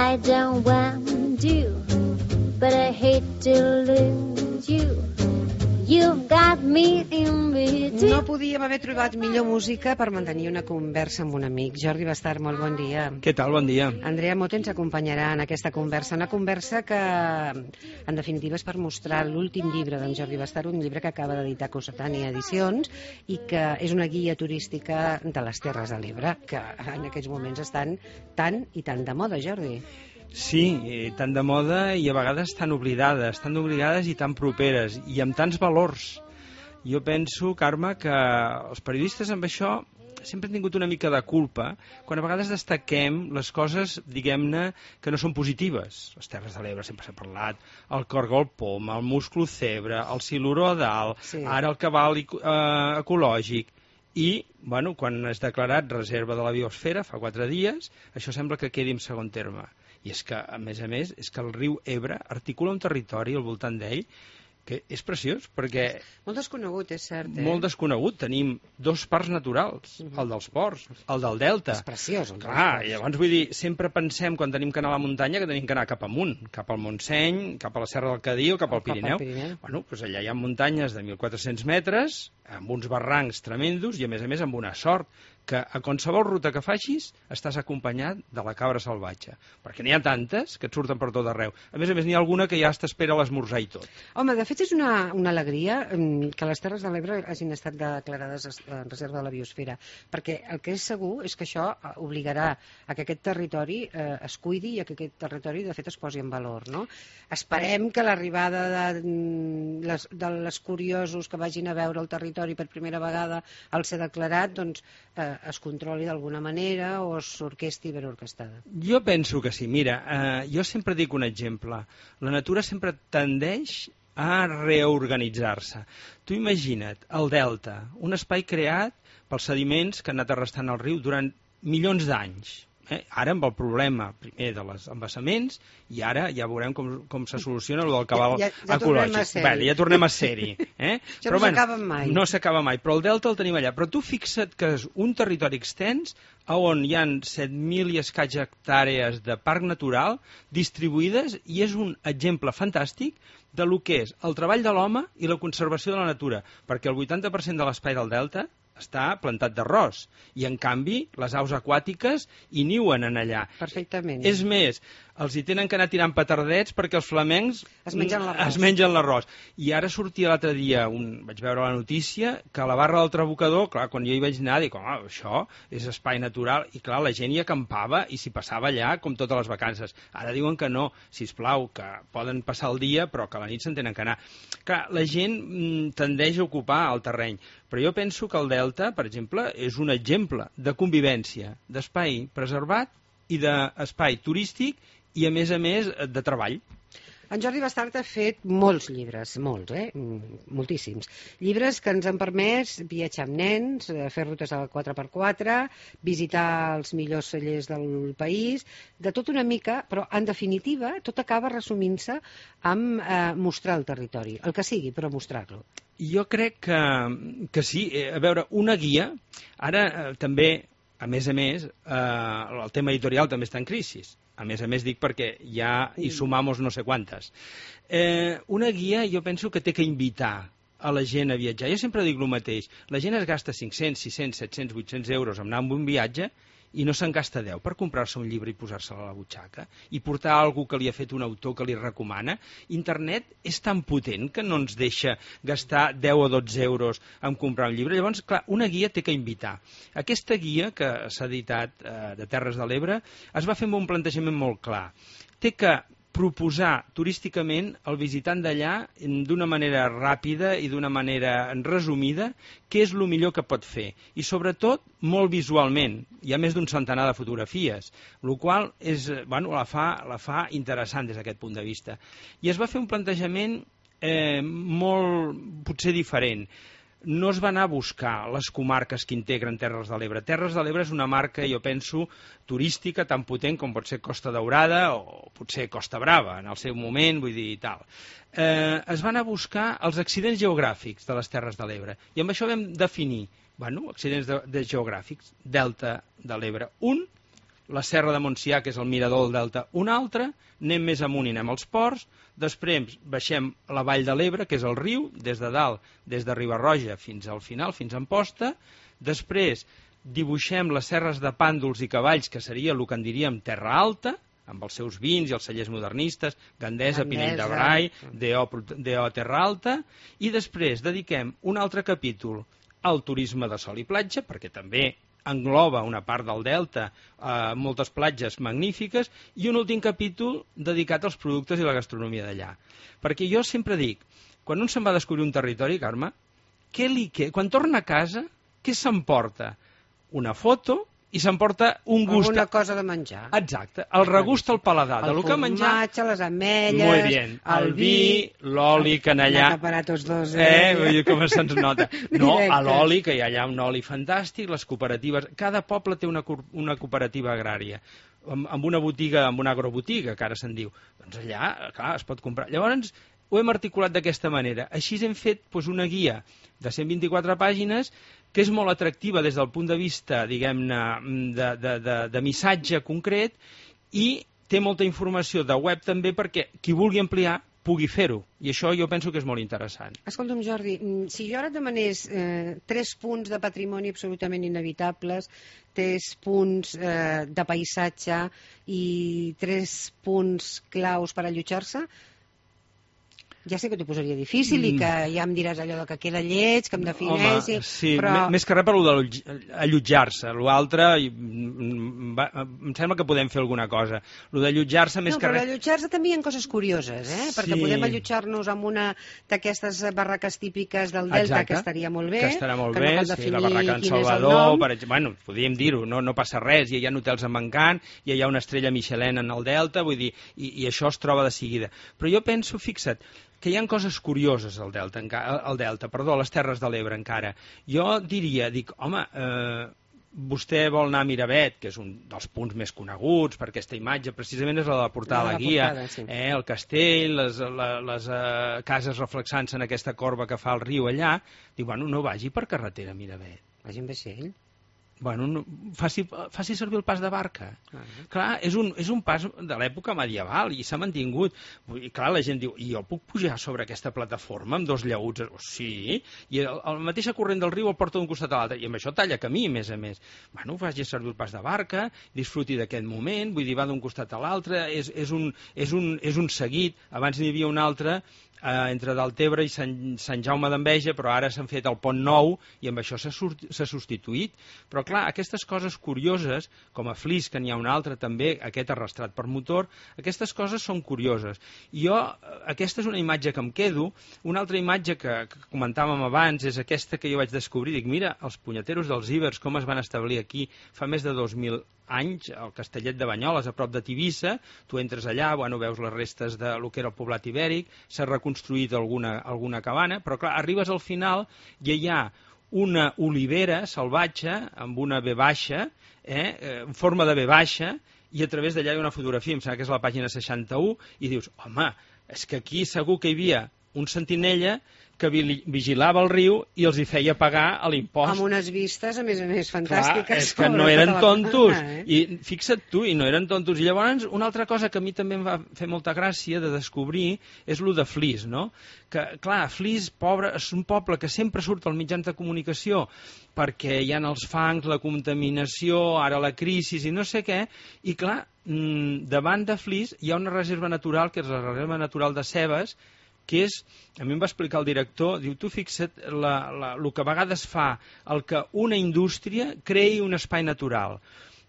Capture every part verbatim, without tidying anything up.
I don't want you, but I hate to lose you. You've got me in between. No podíem haver trobat millor música per mantenir una conversa amb un amic. Jordi Bastard, molt bon dia. Què tal? Bon dia. Andrea Mote ens acompanyarà en aquesta conversa, una conversa que, en definitiva, és per mostrar l'últim llibre d'en Jordi Bastard, un llibre que acaba d'editar Cossetània Edicions i que és una guia turística de les Terres de l'Ebre, que en aquests moments estan tan i tan de moda, Jordi. Sí, tan de moda i a vegades tan oblidades, tan oblidades i tan properes, i amb tants valors. Jo penso, Carme, que els periodistes amb això sempre han tingut una mica de culpa quan a vegades destaquem les coses, diguem-ne, que no són positives. Les Terres de l'Ebre sempre s'ha parlat, el cargol poma, el musclo cebre, el siluró a dalt, sí. Ara el cabal eh, ecològic. I, bueno, quan és declarat reserva de la biosfera, fa quatre dies, això sembla que quedi en segon terme. I és que, a més a més, és que el riu Ebre articula un territori al voltant d'ell que és preciós, perquè... Molt desconegut, és cert, eh? Molt desconegut. Tenim dos parcs naturals, uh-huh. El dels ports, el del delta. És preciós. Clar, i llavors vull dir, sempre pensem, quan tenim que anar a la muntanya, que tenim que anar cap amunt, cap al Montseny, cap a la Serra del Cadí o cap al Pirineu. Cap al Pirineu. Bueno, doncs allà hi ha muntanyes de mil quatre-cents metres, amb uns barrancs tremendos i, a més a més, amb una sort, que a qualsevol ruta que facis estàs acompanyat de la cabra salvatge, perquè n'hi ha tantes que et surten per tot arreu. A més a més, n'hi ha alguna que ja t'espera a l'esmorzar i tot. Home, de fet és una, una alegria que les Terres de l'Ebre hagin estat declarades en reserva de la biosfera, perquè el que és segur és que això obligarà a que aquest territori eh, es cuidi i a que aquest territori, de fet, es posi en valor, no? Esperem que l'arribada de, les, de les curiosos que vagin a veure el territori per primera vegada al ser declarat, doncs, eh, es controli d'alguna manera o s'orquesti ben orquestada. Jo penso que sí. Mira, eh, jo sempre dic un exemple. La natura sempre tendeix a reorganitzar-se. Tu imagina't el delta, un espai creat pels sediments que han anat arrastant el riu durant milions d'anys. Eh? Ara amb el problema primer de les embassaments i ara ja veurem com, com se soluciona el del cabal ja, ja, ja ecològic. Bé, ja tornem a ser-hi. Eh? Això no s'acaba mai. No s'acaba mai, però el delta el tenim allà. Però tu fixa't que és un territori extens on hi ha set mil i escaig hectàrees de parc natural distribuïdes i és un exemple fantàstic de lo que és el treball de l'home i la conservació de la natura, perquè el vuitanta per cent de l'espai del delta està plantat d'arròs i, en canvi, les aus aquàtiques hi niuen en allà. Perfectament. És més, els hi tenen que anar tirant petardets perquè els flamencs es mengen l'arròs. Es mengen l'arròs. I ara sortia l'altre dia, un, vaig veure la notícia, que a la barra del Trabucador, clar, quan jo hi vaig anar, dic, home, això és espai natural, i clar, la gent hi acampava i s'hi passava allà com totes les vacances. Ara diuen que no, sisplau, que poden passar el dia, però que a la nit se'n tenen que anar. Clar, la gent mm, tendeix a ocupar el terreny, però jo penso que el delta, per exemple, és un exemple de convivència, d'espai preservat i d'espai turístic i, a més a més, de treball. En Jordi Bastard ha fet molts llibres, molts, eh? Moltíssims. Llibres que ens han permès viatjar amb nens, fer rutes al quatre per quatre, visitar els millors cellers del país, de tot una mica, però en definitiva tot acaba resumint-se amb eh, mostrar el territori, el que sigui, però mostrar-lo. Jo crec que, que sí. A veure, una guia, ara eh, també, a més a més, eh, el tema editorial també està en crisi. A més a més dic perquè ja hi sumamos no sé quantes. Eh, una guia jo penso que té que invitar a la gent a viatjar. Jo sempre dic el mateix. La gent es gasta cinc-cents, sis-cents, set-cents, vuit-cents euros en anar amb un viatge i no se'n gasta deu per comprar-se un llibre i posar-se'l a la butxaca i portar algú que li ha fet un autor que li recomana. Internet és tan potent que no ens deixa gastar deu o dotze euros en comprar un llibre. Llavors, clar, una guia té que invitar. Aquesta guia que s'ha editat eh, de Terres de l'Ebre es va fer amb un plantejament molt clar. Té que proposar turísticament al visitant d'allà d'una manera ràpida i d'una manera resumida què és el millor que pot fer i sobretot molt visualment. Hi ha més d'un centenar de fotografies, el qual és, bueno, la, fa, la fa interessant des d'aquest punt de vista. I es va fer un plantejament eh, molt potser diferent. No es va anar a buscar les comarques que integren Terres de l'Ebre. Terres de l'Ebre és una marca, jo penso, turística tan potent com pot ser Costa Daurada o potser Costa Brava, en el seu moment, vull dir, i tal. Eh, es van anar a buscar els accidents geogràfics de les Terres de l'Ebre. I amb això vam definir, bueno, accidents de, de geogràfics, Delta de l'Ebre un, la Serra de Montsià, que és el mirador del Delta, un altre, anem més amunt i anem als ports, després baixem la Vall de l'Ebre, que és el riu, des de dalt, des de Riba-roja fins al final, fins a Amposta, després dibuixem les serres de Pàndols i Cavalls, que seria el que en diríem Terra Alta, amb els seus vins i els cellers modernistes, Gandesa, Gandesa. Pinell de Brai, D O Terra Alta, i després dediquem un altre capítol al turisme de sol i platja, perquè també engloba una part del delta, eh, moltes platges magnífiques, i un últim capítol dedicat als productes i la gastronomia d'allà. Perquè jo sempre dic, quan un se'n va a descobrir un territori, Carme, què li que... quan torna a casa, què s'emporta? Una foto i s'emporta un gust... Alguna cosa de menjar. Exacte, el regust al paladar del que ha menjat. El formatge, les ametlles, Muy bien. El vi, l'oli, que en allà... Anar a parar tots dos. Eh, Eh, vull dir, com se'ns nota. No, Directe. a l'oli, que hi ha allà un oli fantàstic, les cooperatives... Cada poble té una, co- una cooperativa agrària, amb, amb una botiga, amb una agrobotiga, que ara se'n diu. Doncs allà, clar, es pot comprar. Llavors, ho hem articulat d'aquesta manera. Així hem fet doncs, una guia de cent vint-i-quatre pàgines que és molt atractiva des del punt de vista, diguem-ne, de, de, de, de missatge concret, i té molta informació de web també perquè qui vulgui ampliar pugui fer-ho. I això jo penso que és molt interessant. Escolta'm, Jordi, mm, si jo ara et demanés eh, tres punts de patrimoni absolutament inevitables, tres punts eh, de paisatge i tres punts claus per allotjar-se, ja sé que t'ho posaria difícil i que ja em diràs allò de que queda lleig, que em defineixi, Home, sí, però... m- més que res per allò d'allotjar-se. L'altre, i, mm, va- em sembla que podem fer alguna cosa. Lo d'allotjar-se més No, que però res... allotjar-se també hi ha coses curioses, eh? Perquè Sí. podem allotjar-nos en una d'aquestes barraques típiques del Delta, Exacte, que estaria molt bé. que estarà molt que bé, no cal sí, definir la barraca en quin és el Salvador, nom. per exemple, bueno, podríem dir-ho, no, no passa res, ja hi ha hotels amb encant, ja hi ha una estrella Michelin en el Delta, vull dir, i, i això es troba de seguida. Però jo penso, fixa't, que hi ha coses curioses al Delta, enca- al Delta, perdó, a les Terres de l'Ebre encara. Jo diria, dic, home, eh, vostè vol anar a Miravet, que és un dels punts més coneguts per aquesta imatge, precisament és la de la portada La a de la la guia, portada, sí. eh, el castell, les, la, les eh, cases reflexant-se en aquesta corba que fa el riu allà, dic, bueno, no vagi per carretera a Miravet. Vagi amb vaixell. Bueno, no, faci, faci servir el pas de barca. Ah. Clar, és un, és un pas de l'època medieval i s'ha mantingut. Vull dir, clar, la gent diu, i jo puc pujar sobre aquesta plataforma amb dos llaüts? Oh, sí, i el, el mateixa corrent del riu el porta d'un costat a l'altre, i amb això talla camí, a més a més. Bueno, faci servir el pas de barca, disfruti d'aquest moment, vull dir, va d'un costat a l'altre, és, és, un, és, un, és un seguit. Abans n'hi havia un altre, eh, entre Deltebre i Sant, Sant Jaume d'Enveja, però ara s'han fet el pont nou i amb això s'ha s'ha substituït. Però clar, aquestes coses curioses, com a Flix, que n'hi ha un altre també, aquest arrastrat per motor, aquestes coses són curioses. I jo, aquesta és una imatge que em quedo. Una altra imatge que, que comentàvem abans és aquesta que jo vaig descobrir. Dic, mira, els punyeteros dels Ibers, com es van establir aquí fa més de dos mil anys, al Castellet de Banyoles, a prop de Tivissa. Tu entres allà, bueno, veus les restes de lo que era el poblat ibèric, s'ha reconstruït alguna, alguna cabana, però clar, arribes al final i hi ha una olivera salvatge amb una ve baixa, eh, en forma de ve baixa, i a través d'allà hi ha una fotografia, em sembla que és la pàgina seixanta-u, i dius, home, és que aquí segur que hi havia un sentinella que vi- vigilava el riu i els hi feia pagar a l'impost. Amb unes vistes, a més a més, Clar, fantàstiques. és que no sobre eren tota la tontos. façana, eh? I fixa't tu, i no eren tontos. I llavors, una altra cosa que a mi també em va fer molta gràcia de descobrir és lo de Flix, no? Que, clar, Flix, pobre, és un poble que sempre surt als mitjans de comunicació perquè hi ha els fangs, la contaminació, ara la crisi i no sé què, i clar, mmm, davant de Flix hi ha una reserva natural, que és la reserva natural de Cebes, que és, a mi em va explicar el director, diu, tu fixa't la, la, el que a vegades fa el que una indústria creï un espai natural.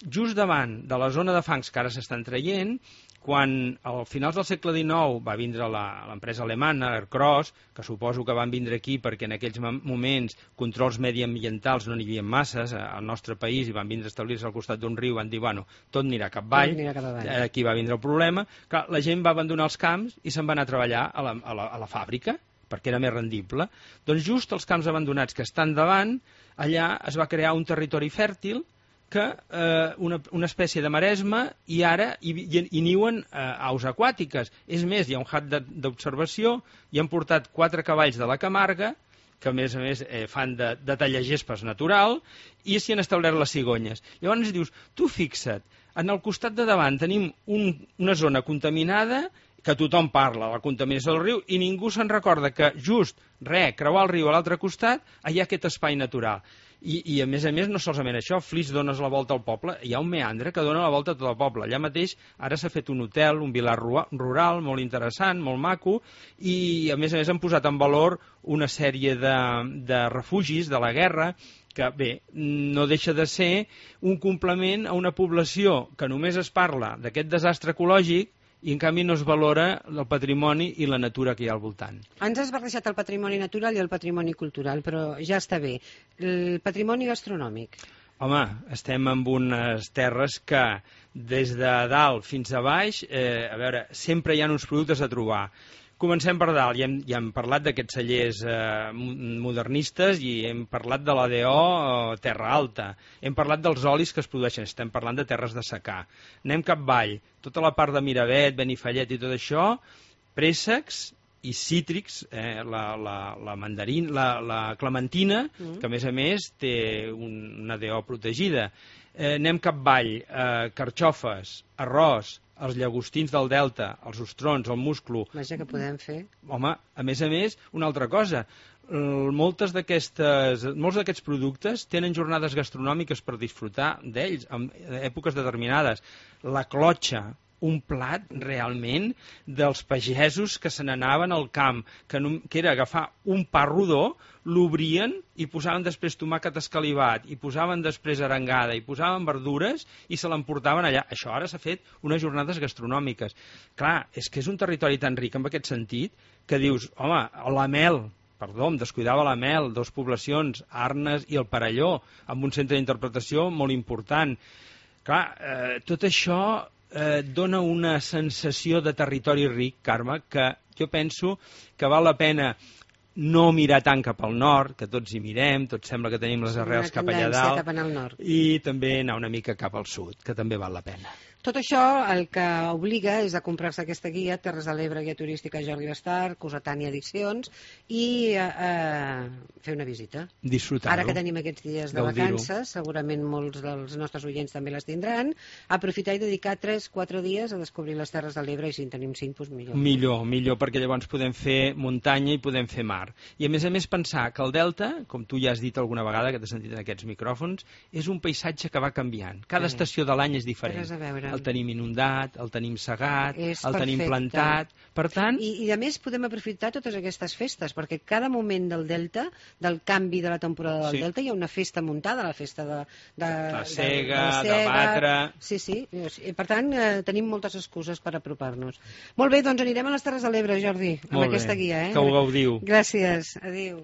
Just davant de la zona de fangs que ara s'estan traient, quan al finals del segle dinou va vindre la- l'empresa alemana, Aircross, que suposo que van vindre aquí perquè en aquells mom- moments controls mediambientals no n'hi havia masses a- al nostre país i van vindre a establir-se al costat d'un riu, van dir, bueno, tot anirà cap avall, Tot anirà cap avall. eh, aquí va vindre el problema. Clar, la gent va abandonar els camps i se'n va anar a treballar a la, a la, a la fàbrica, perquè era més rendible. Doncs just els camps abandonats que estan davant, allà es va crear un territori fèrtil que eh, una, una espècie de maresma i ara hi, hi, hi niuen eh, aus aquàtiques. És més, hi ha un hat de- d'observació i han portat quatre cavalls de la Camarga que a més a més eh, fan de, de tallagespas natural, i s'hi han establert les cigonyes. Llavors dius, tu fixa't, en el costat de davant tenim un, una zona contaminada, que tothom parla, la contaminació del riu, i ningú se'n recorda que just, re, creuar el riu a l'altre costat, hi ha aquest espai natural. I, i a més a més, no solament això, Flix dones la volta al poble, hi ha un meandre que dona la volta a tot el poble. Allà mateix ara s'ha fet un hotel, un vilar rural, molt interessant, molt maco, i a més a més han posat en valor una sèrie de, de refugis de la guerra, que bé, no deixa de ser un complement a una població que només es parla d'aquest desastre ecològic i en canvi no es valora el patrimoni i la natura que hi ha al voltant. Ens has barrejat el patrimoni natural i el patrimoni cultural, però ja està bé. El patrimoni gastronòmic. Home, estem en unes terres que des de dalt fins a baix, eh, a veure, sempre hi ha uns productes a trobar. Comencem per dalt, ja hem, ja hem parlat d'aquests cellers eh, modernistes i hem parlat de l'A D O eh, Terra Alta, hem parlat dels olis que es produeixen, estem parlant de terres de secà. Anem cap avall, tota la part de Miravet, Benifallet i tot això, préssecs i cítrics, eh, la, la, la mandarin, la, la clementina, mm. que a més a més té un, una A D O protegida. Eh, anem cap avall, eh, carxofes, arròs, els llagostins del delta, els ostrons, el musclo... Vaja, que podem fer. Home, a més a més, una altra cosa, moltes d'aquestes, molts d'aquests productes tenen jornades gastronòmiques per disfrutar d'ells, en èpoques determinades. La clotxa, un plat realment dels pagesos que se n'anaven al camp, que, no, que era agafar un pa rodó, l'obrien i posaven després tomàquet escalivat, i posaven després arengada, i posaven verdures i se l'emportaven allà. Això ara s'ha fet unes jornades gastronòmiques. Clar, és que és un territori tan ric en aquest sentit que dius, home, la mel, perdó, em descuidava la mel, dues poblacions, Arnes i el Perelló, amb un centre d'interpretació molt important. Clar, eh, tot això eh, dona una sensació de territori ric, Carme, que jo penso que val la pena no mirar tant cap al nord, que tots hi mirem, tots sembla que tenim les arrels cap allà dalt, cap al nord. I també anar una mica cap al sud, que també val la pena. Tot això el que obliga és a comprar-se aquesta guia, Terres de l'Ebre, guia turística Jordi Bastar, Cossetània Edicions, i eh, fer una visita. Disfrutar-ho. Ara que tenim aquests dies de vacances, segurament molts dels nostres oients també les tindran, aprofitar i dedicar tres quatre dies a descobrir les Terres de l'Ebre, i si en tenim cinc, doncs millor. Millor, millor, perquè llavors podem fer muntanya i podem fer mar. I a més a més pensar que el delta, com tu ja has dit alguna vegada, que t'has sentit en aquests micròfons, és un paisatge que va canviant. Cada sí. estació de l'any és diferent. Res a veure. El tenim inundat, el tenim segat, és el perfecte. tenim plantat. Per tant... I, I a més podem aprofitar totes aquestes festes, perquè cada moment del delta, del canvi de la temporada del sí. delta, hi ha una festa muntada, la festa de... de la de, cega, de, de, de batre... Sí, sí. I, per tant, eh, tenim moltes excuses per apropar-nos. Molt bé, doncs anirem a les Terres de l'Ebre, Jordi, amb Molt aquesta bé. guia. Eh? Que ho gaudiu. Gràcies. Adéu.